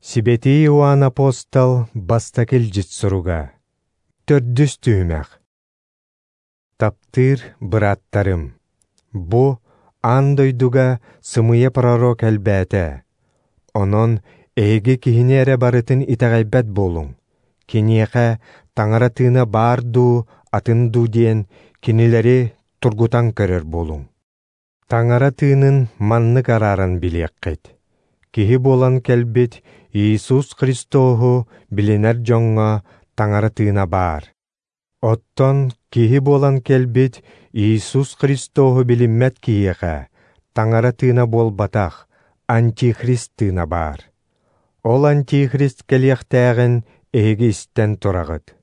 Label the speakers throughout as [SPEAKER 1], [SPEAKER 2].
[SPEAKER 1] Сибэтии Иоанн апостол бастакы илдьит суруга. Төрдүс түһүмэх. Таптыыр бырааттарым, бу аан дойдуга сымыйа пророк элбээтэ. Онон эһиги киһини эрэ барытын итэҕэйбэт буолуҥ. Киниэхэ Таҥара тыына баар дуу, атын дуу диэн кинилэри тургутан көрөр буолуҥ. Таҥара тыынын маннык арааран билиэххит. Киһи буолан кэлбит Иисус Христоһу билинэр дьоҥҥо Таҥара тыына баар. Оттон киһи буолан кэлбит Иисус Христоһу билиммэт киһиэхэ Таҥара тыына буолбатах, Антихрист тыына баар. Ол Антихрист кэлиэхтээҕин эһиги истэн тураҕыт.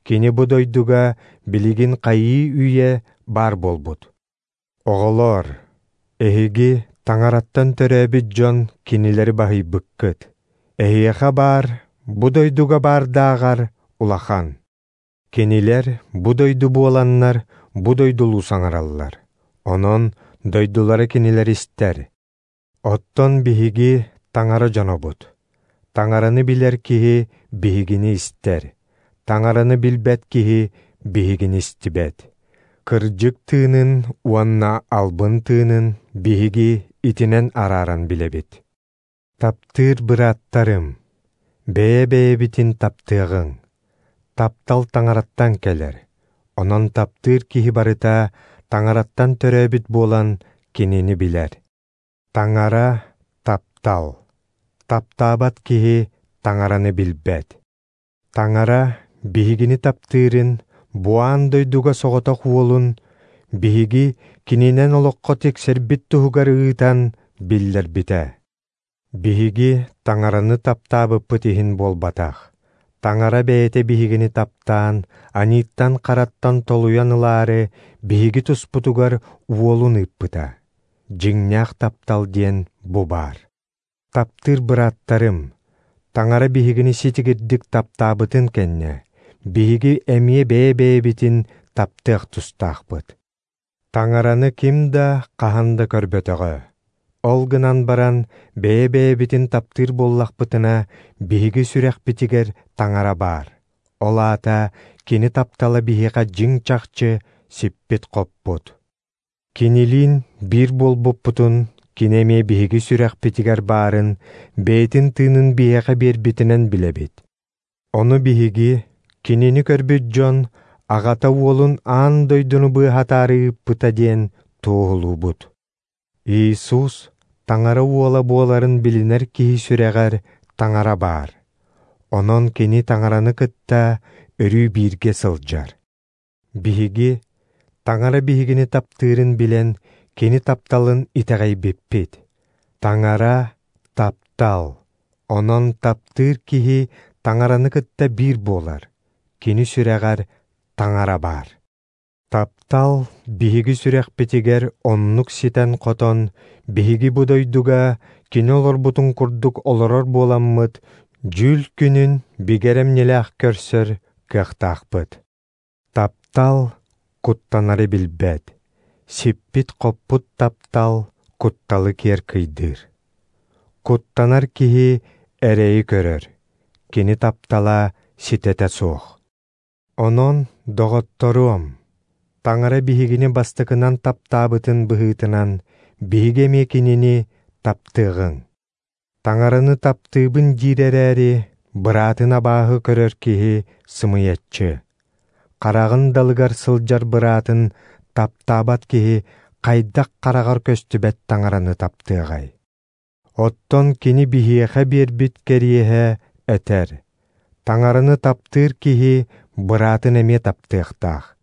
[SPEAKER 1] Кини бу дойдуга билигин хайыы үйэ баар буолбут. Оҕолоор, эһиги Таҥараттан төрөөбүт дьон кинилэри баһыйбыккыт. Эһиэхэ баар, бу дойдуга баардааҕар улахан. Кинилэр бу дойду буоланнар, бу дойдулуу саҥараллар. Онон дойдулара кинилэр истэр. Оттон биһиги Таҥара дьонобут. Таҥараны билэр киһи биһигини истэр. Таҥараны билбэт киһи биһигини истибэт. Кырдьык тыынын уонна албын тыынын биһиги итинэн арааран билэбит. Таптыыр бырааттарым, бэйэ-бэйэбитин таптыаҕыҥ. Таптал Таҥараттан кэлэр. Онон таптыыр киһи барыта Таҥараттан төрөөбүт буолан кинини билэр. Таҥара – таптал. Таптаабат киһи Таҥараны билбэт. Таҥара биһигини таптыырын бу аан дойдуга соҕотох уолун биһиги кининэн олоххо тиксэрбит туһугар ыытан биллэрбитэ. Биһиги Таҥараны таптаабыппыт иһин буолбатах. Таҥара бэйэтэ биһигини таптаан, аньыыттан-хараттан толуйан ылаары биһиги туспутугар уолун ыыппыта. Дьиҥнээх таптал диэн бу баар. Таптыыр бырааттарым, Таҥара биһигини ситигирдик таптаабытын кэннэ, биһиги эмиэ бэйэ-бэйэбитин таптыах тустаахпыт. Таҥараны ким да хаһан да көрбөтөҕө. Ол гынан баран, бэйэ-бэйэбитин таптыыр буоллахпытына, биһиги сүрэхпитигэр Таҥара баар. Ол аата кини таптала биһиэхэ дьиҥ-чахчы сиппит-хоппут. Кинилиин биир буолбуппутун, кини эмиэ биһиги сүрэхпитигэр баарын, бэйэтин тыынын биһиэхэ биэрбитинэн билэбит. Ону биһиги, кинини көрбүт дьон, аҕата уолун аан дойдуну быыһатаары ыыппыта диэн туоһулуубут. Иисус Таҥара уола буоларын билинэр киһи сүрэҕэр Таҥара баар. Онон кини Таҥараны кытта өрүү бииргэ сылдьар. Биһиги Таҥара биһигини таптыырын билэн, кини тапталын итэҕэйбиппит. Таҥара – таптал. Онон таптыыр киһи Таҥараны кытта биир буолар. Кини сүрэҕэр Таҥара баар. Таптал биһиги сүрэхпитигэр оннук ситэн-хотон, биһиги бу дойдуга кини олорбутун курдук олорор буоламмыт, дьүүл күнүн бигэ эрэмньилээх көрсөр кыахтаахпыт. Таптал куттанары билбэт, сиппит-хоппут таптал кутталы киэр кыйдыыр. Куттанар киһи эрэйи көрөр, кини таптала ситэтэ суох. Онон, доҕотторуом, Таҥара биһигини бастакынан таптаабытын быһыытынан, биһиги эмиэ кинини таптыаҕыҥ. Таҥараны таптыыбын диир эрээри, быраатын абааһы көрөр киһи сымыйаччы. Хараҕын далыгар сылдьар быраатын таптаабат киһи хайдах хараҕар көстүбэт Таҥараны таптыаҕай? Оттон кини биһиэхэ биэрбит кэриэһэ этэр: Таҥараны таптыыр киһи быраатын эмиэ таптыахтаах.